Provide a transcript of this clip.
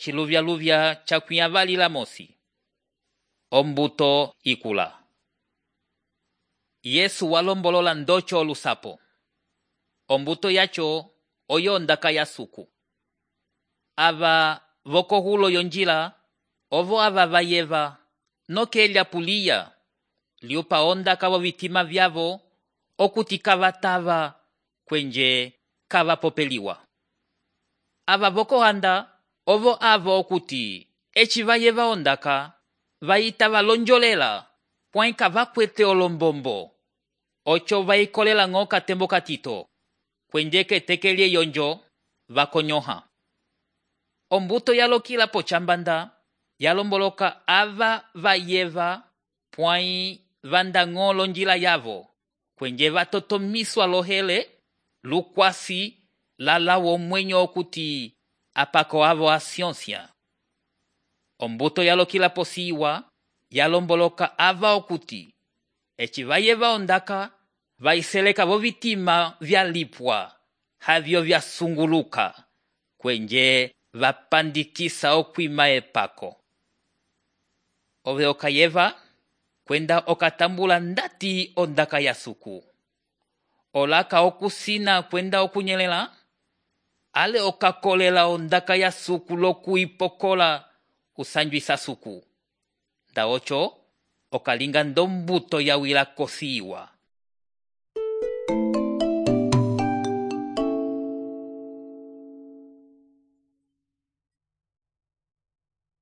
Chiluvyaluvya chakwiyavalila mosi. Ombuto ikula. Yesu walombolola ndocho olusapo. Ombuto yacho oyo ondaka ya suku. Ava vokohulo yonjila ovo ava vayeva nokelya puliya liupa ondaka vo vitima vyavo okuti kavatava kwenje kavapopeliwa. Ava vokohanda ovo avo okuti eci vayeva ondaka vayita valonjolela pwai kavakwete olombombo ocho vayikolela ng'o katembo katito kwenje ketekelye yonjo vakonyoha. Ombuto yalokila pochambanda yalomboloka ava vayeva pwai vanda ng'o lonjila yavo kwenje vatotomiswa lohele lukwasi lalawo mwenyo okuti apako avo asioncia. Ombuto yalokila posiwa yalomboloka ava okuti eci vayeva ondaka vaiseleka vo vitima vyalipwa havyo vyasunguluka kwenje vapandikisa okwima epako. Ove okayeva kwenda okatambula ndati ondaka ya suku. Olaka okusina kwenda okunyelela ale okakolela ondaka ya suku lokuipokola kusanjwisa suku. Nda ocho okalinga ndombuto ya wila kosiwa.